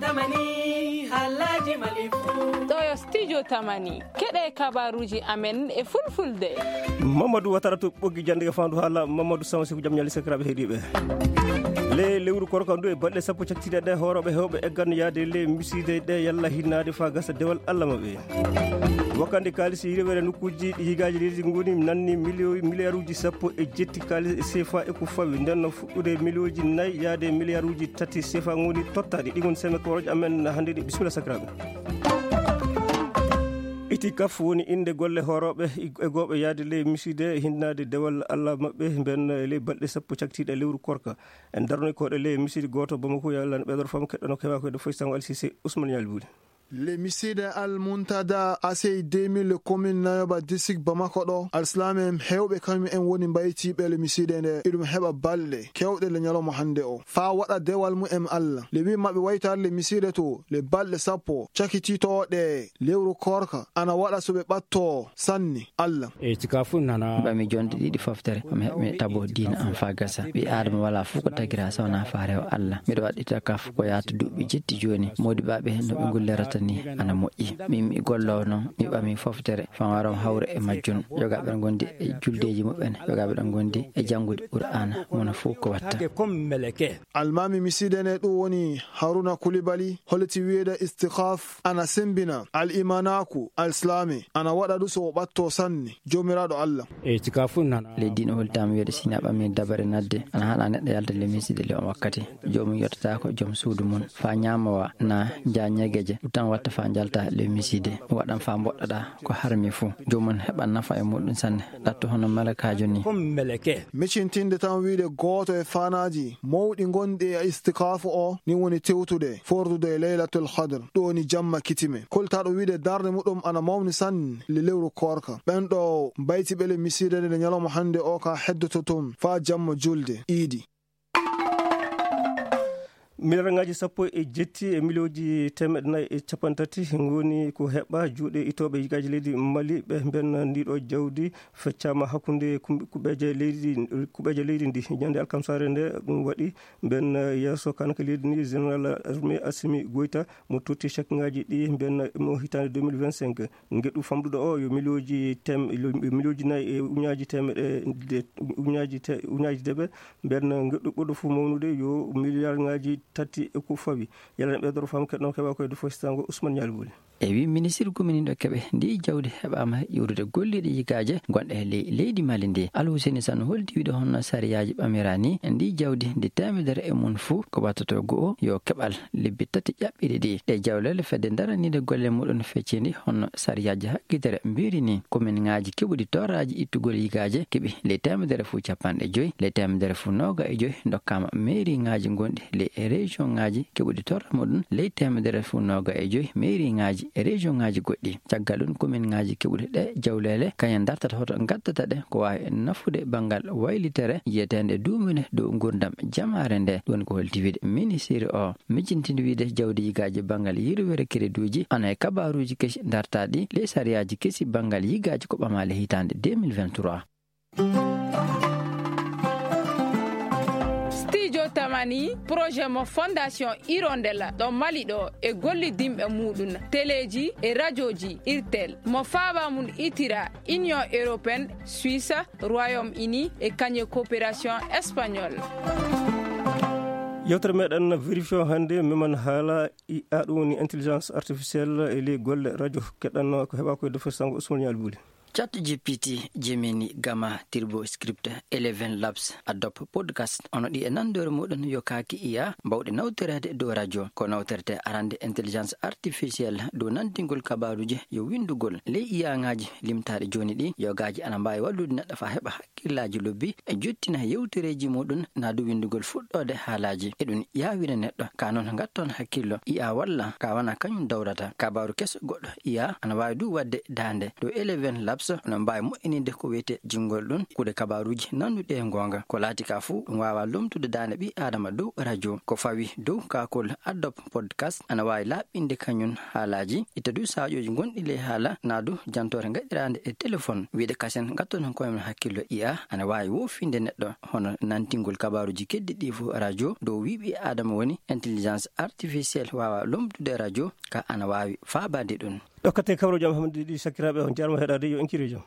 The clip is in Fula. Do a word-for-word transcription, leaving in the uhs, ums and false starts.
Tamani, haalaaji Mali fuu. Ɗo yo Studio Tamani. Keɗe kabaruuji amen e fulfulde. Mamadou Watara to ɓoggi jannde e faandu haala Mamadou Samsi ko jam ñaali sakiraaɓe heediiɓe. Le lewru korka ndu e balɗe sappo caktiiɗe ɗe hoorooɓe heewɓe eggan yaade le misiide ɗe yalla hinnaade faa gasa dewal Allah maɓɓe. Wakkande kaalisi yirwere nokkuuji ɗi yigaaji leydi ngoni nanni milio-, miliyaruuji sappo e jetti kaalis sefa e ko fawi. Nden no fuɗɗude miliyooji nayi yaade miliyaruuji tati sefa ngoni tottaaɗi. Ɗi ngoni seme koroje amen hannde ɗi. Bisimilla sakiraaɓe. Itikaf woni innde golle hoorooɓe e gooɓe yaade ley misiide hinnaade dewal Allah maɓɓe mben e ley balɗe sappo caktiiɗe lewru korka. En darnoy koɗe ley misiide gooto Bamako yalla ɓeydor fam keɗɗono kewa koyde foy sango Al Sise Ousmane Yalbuli. Le misiide Al Muntada asey deux mille commune nayoba district Bamako ɗo alsilaame en heewɓe kañum en woni mbaytiiɓe le misiide nde iɗum heɓa balɗe kewɗe le ñalawma hannde o faa waɗa dewal mum en Allah. Le wi maɓɓe waytaade le misiide to le balɗe sappo cakitiitooɗe lewru koorka ana waɗa so ɓe ɓattoo sanne Allah. E cika fu nana. Ɓami jonde ɗiɗi foftere, mi heɓmi tabo diina am faa gasa. Ɓii Aadama walaa fof ko tagira so wonaa faa rewa Allah. Miɗo waɗɗita kaf ko yaata duuɓi jetti jooni. Moodi ɓaaɓe no ɓe ngullirata ni ana moƴƴi. Min mi golloo noon, mi ɓami foftere faa waram hawre e majjum. Yogaaɓe ɗon ngondi e juldeeji muɓɓen, yogaaɓe ɗon ngondi e janngude Qur'aana, mono fof ko watta. Almaami misiide ne ɗum woni Haruna Kulibali, holliti wiyeede istikaf ana sembina al imanaaku al islaami, ana waɗa ɗum so o ɓatto sanne Joomiraaɗo Allah. E cika fu nana. Leydi no holtaama wiyeede si na ɓami dabare nadde, ana haɗa neɗɗo yalta le misiide le on wakkati. Joomum yottataako joom suudu mum, faa ñaamowa na jaa ñegeje, ɗum tan watta faa njalta le misiide. Ɗum waɗan faa mboɗɗoɗaa ko harmi fuu. Joomum heɓan nafa e muɗum sanne, ɗatto hono malakaajo ni. Micintinde tan wiide gooto e faanaaji mawɗi ngonɗi e istikaafu o, ni woni tewtude, fordude e Laylatul Qadr, ɗum woni jamma kitime. Koltaaɗo wiide darnde muɗum ana mawni sanne le lewru koorka. Ɓen ɗo mbayti ɓele misiide nde ñalawma hannde o ka heddoto toon faa jamma julde iidi. Miliyarŋaaji sappo e jetti e miliyooji teemeɗɗe nayi e cappanɗe tati ngoni ko heɓa juuɗe itooɓe yigaaji leydi Mali ɓe mben ndiɗo jawdi feccaama hakkunde kum-, kuɓeeje leydi, kuɓeeje leydi ndi. Ñande alkamsaare nde ɗum waɗi mben yeeso kanko leydi ni, Général Armée Assimi Goïta mo totti chèque ŋaaji ɗi mben mo hitaande deux mille vingt-cinq. Ngeɗu famɗuɗo o yo miliyooji tem-, yo miliyooji nayi e uñaaji teemeɗe de-, uñaaji te-, uñaaji deɓe. Nden ngeɗu ɓurɗo fof mawnude yo miliyarŋaaji tati e ko fawi. Yalana ɓeydoro fam keɗɗon keɓa koye Dufo Sitango Ousmane Ñaali Boli. E wi ministirgu min ɗo keɓe ndi jawdi heɓaama iwrude golliiɗe yigaaje gonɗe e ley leydi Mali ndi. Alhuseni Sano holdi wiɗo honno sariyaaji ɓamira ni ndi jawdi ndi teemedere e mum fuu ko wattoto go'o yo keɓal lebbi tati ƴaɓɓiiɗe ɗi. Ɗe jawlele fedde daraniinde golle muɗum feccindi honno sariyaaji haggitere mbiiri ni. Kominŋaaji keɓuɗi torraaji ittugol yigaaje keɓi ley teemedere fuu cappanɗe joyi, ley teemedere fuu nooga e joyi ndokkaama meeriŋaaji gonɗi ley e région ŋaaji keɓuɗi torra muɗum ley teemedere fuu nooga e joyi meeriŋaaji e région ŋaaji goɗɗi. Caggal ɗum kominŋaaji keɓuɗi ɗe jawlele kañum dartata hoto ngaddata ɗe ko waawi nafude banngal waylitere yiyeteende duumune dow nguurndam jamaare nde. Ɗum woni ko holti wiide ministiri o. Mijjintinde wiide jawdi yigaaji banngal yirwere kereduuji, ana e kabaaruuji kesi dartaaɗi ley sariyaaji kesi banngal yigaaji ko ɓamaali hitaande deux mille vingt-trois. Studio Tamani, projet mo Fondation Hirondelle ɗo Mali ɗo e gollidinɓe muɗum, teleeji e rajooji Irtel, mo faaba mum itira Union Européenne, Suisse, Royaume-Uni e kañe coopération espagnol. Yewtere meɗen vérifié o hannde, meman haala I A, ɗum woni intelligence artificielle e ley golle radio. Keɗɗan ko heɓa koye Dufo Sitango Ousmane Ñaali Boli. Chat G P T, Gemini, Gamma, Turbo Script, Eleven Labs, Adobe Podcast, ono ɗi e nanndore muɗum yo kaaki I A mbawɗe nawtoreede dow radio. Ko nawtorte arande intelligence artificielle dow nantingol kabaaruuji yo winndugol. Ley I A ŋaaji limtaaɗi jooni ɗi, yogaaji ana mbaawi wallude neɗɗo faa heɓa hakkillaaji lobbi e jottina yewtereeji muɗum naa du winndugol fuɗɗoode haalaaji. E ɗum yaawina neɗɗo, ka noon ngatton hakkillo, I A walla ka wona kañum dawrata. Kabaaru keso goɗɗo, I A ana waawi du waɗde daande. Ɗo Eleven Labs Oɗon mbaawi moƴƴininde ko wiyetee jinngol ɗum, kuuɗe kabaaruuji nannduɗe e ngoonga. Ko laati ka fuu, ɗum waawaa lomtude daande ɓii Aadama dow radio. Ko fawi dow kaakol Adobe Podcast, ana waawi laaɓɓinde kañum haalaaji, itta du saƴooji gonɗi ley haala, naa du jantoore gaɗiraande e telefon. Wiyde kasen ngattoɗon koye mon hakkillo I A ana waawi woofinde neɗɗo, hono nantingol kabaaruuji keddi ɗi fof radio dow wi ɓii Aadama woni intelligence artificielle waawaa lomtude radio, ka ana waawi faabaade ɗum. Ɗokkate kabro jam hamdi ɗi sakkiraaɓe on jarmo heɗaade yo en kiri jam.